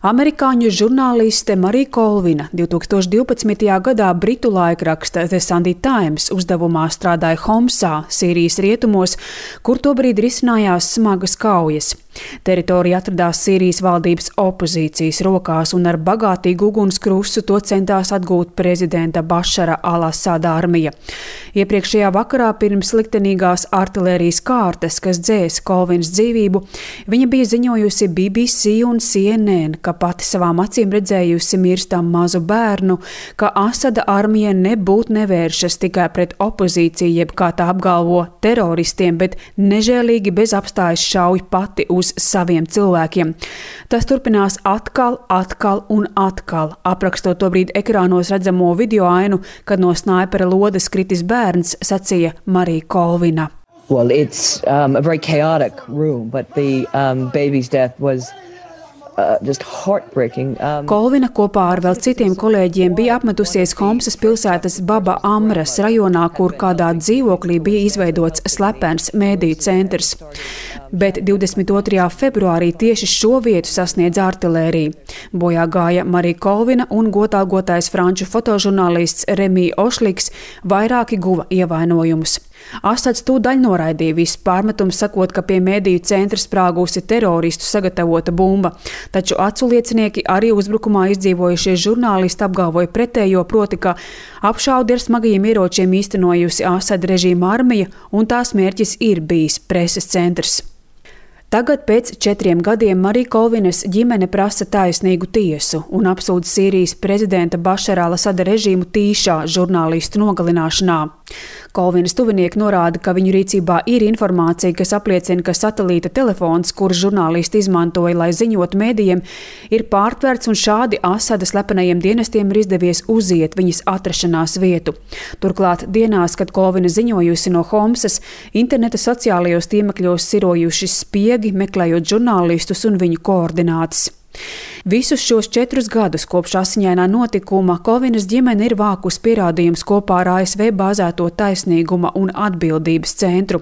Amerikāņu žurnāliste Marija Kolvina 2012. gadā britu laikraksta The Sunday Times uzdevumā strādāja Homsā, Sīrijas rietumos, kur tobrīd risinājās smagas kaujas. Teritorija atradās Sīrijas valdības opozīcijas rokās un ar bagātīgu ugunskrustu to centās atgūt prezidenta Bašara al-Asada armija. Iepriekšējā vakarā pirms liktenīgās artilērijas kārtas, kas dzēs Kolvinas dzīvību, viņa bija ziņojusi BBC un CNN, ka pati savām acīm redzējusi mirstam mazu bērnu, ka Asada armija nebūtu nevēršas tikai pret opozīciju, jeb kā tā apgalvo teroristiem, bet nežēlīgi bez apstājas šauj pati uz saviem cilvēkiem. Tas turpinās atkal un atkal, aprakstot tobrīd ekrānos redzamo video ainu, kad no snaipera lodes kritis bērns, sacīja Marija Kolvina. Well, it's a very chaotic room, but the baby's death was just heartbreaking. Kolvina kopā ar vēl citiem kolēģiem bija apmetusies Homsas pilsētas Baba Amras rajonā, kur kādā dzīvoklī bija izveidots slepens mēdīju centrs. Bet 22. februārī tieši šo vietu sasniedz artilērija. Bojā gāja Marija Kolvina un godalgotais franču fotožurnālists Remi Ošliks, vairāki guva ievainojumus. Asads tūdaļ noraidīja visu pārmetumu, sakot, ka pie mēdīju centra sprāgusi teroristu sagatavota bumba, taču aculiecinieki arī uzbrukumā izdzīvojušie žurnālisti apgalvoja pretējo, proti, ka apšaudi ar smagajiem ieročiem īstenojusi Asada režīma armija un tās mērķis ir bijis preses centrs. Tagad pēc 4 gadiem Marija Kolvinas ģimene prasa taisnīgu tiesu un apsūdz Sīrijas prezidenta Bašara al-Asada režīmu tīšā žurnālistu nogalināšanā. Kolvinas tuvinieki norāda, ka viņu rīcībā ir informācija, kas apliecina, ka satelīta telefons, kuru žurnālisti izmantoja, lai ziņotu mēdījiem, ir pārtverts un šādi Asada slepenajiem dienestiem ir izdevies uziet viņas atrašanās vietu. Turklāt dienās, kad Kolvina ziņojusi no Homsas, interneta sociālajos tīmekļos sirojuši spiegi, meklējot žurnālistus un viņu koordinātas. Visus šos 4 gadus kopš asiņainā notikuma Kolvinas ģimene ir vākus pierādījums kopā ar ASV bāzēto taisnīguma un atbildības centru.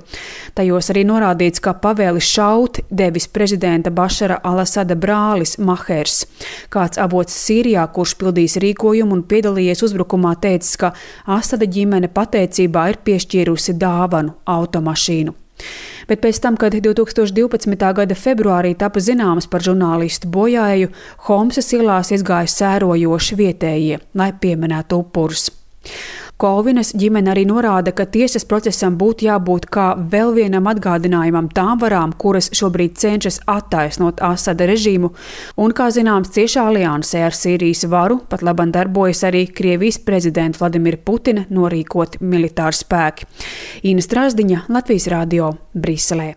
Tajos arī norādīts, ka pavēli šaut devis prezidenta Bašara al-Asada brālis Mahers. Kāds avots Sīrijā, kurš pildīs rīkojumu un piedalījies uzbrukumā, teicis, ka Asada ģimene pateicībā ir piešķīrusi dāvanu automašīnu. Bet pēc tam, kad 2012. gada februārī tapa zināms par žurnālistu bojāeju, Homsas ielās izgāja sērojoši vietējie, lai pieminētu upurus. Kolvinas ģimene arī norāda, ka tiesas procesam būtu jābūt kā vēl vienam atgādinājumam tām varām, kuras šobrīd cenšas attaisnot Asada režīmu, un, kā zināms, ciešā aliansē ar Sīrijas varu pat labam darbojas arī Krievijas prezidenta Vladimira Putina norīkoti militāri spēki. Ina Strasdiņa, Latvijas radio, Briselē.